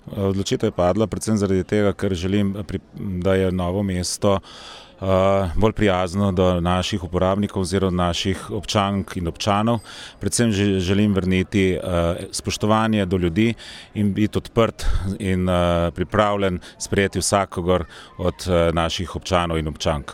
Odločitev je padla predvsem zaradi tega, ker želim, da je Novo mesto bolj prijazno do naših uporabnikov oziroma naših občank in občanov. Predvsem želim vrniti spoštovanje do ljudi in biti odprt in pripravljen sprejeti vsakogar od naših občanov in občank.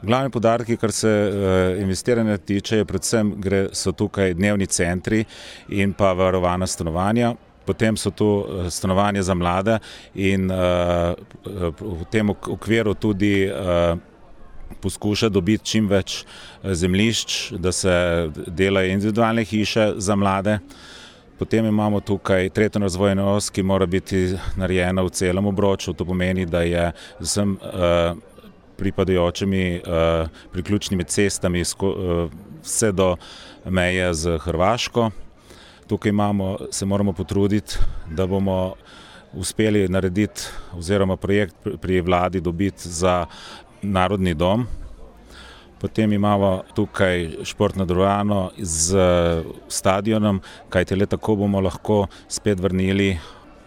Glavni poudarki, kar se investiranja tiče, predvsem so tukaj dnevni centri in pa varovana stanovanja. Potem so tu stanovanja za mlade in v tem okviru tudi poskuša dobiti čim več zemljišč, da se delajo individualne hiše za mlade. Potem imamo tukaj tretjo razvojno os, ki mora biti narejena v celem obroču. To pomeni, da je z vsem pripadajočimi priključnimi cestami vse do meje z Hrvaško. Tukaj se moramo potruditi, da bomo uspeli narediti oziroma projekt pri vladi dobiti za Narodni dom. Potem imamo tukaj športno dvorano z stadionom, kajti le tako bomo lahko spet vrnili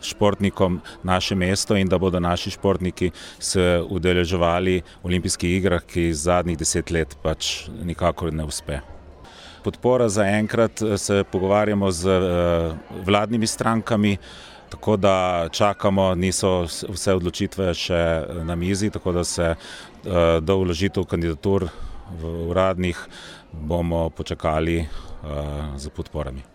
športnikom naše mesto in da bodo naši športniki se udeleževali olimpijskih igrah, ki zadnjih 10 let pač nikakor ne uspe. Podpora zaenkrat se pogovarjamo z vladnimi strankami, tako da čakamo, niso vse odločitve še na mizi, tako da se do vložitev kandidatur v uradnih bomo počakali z podporami.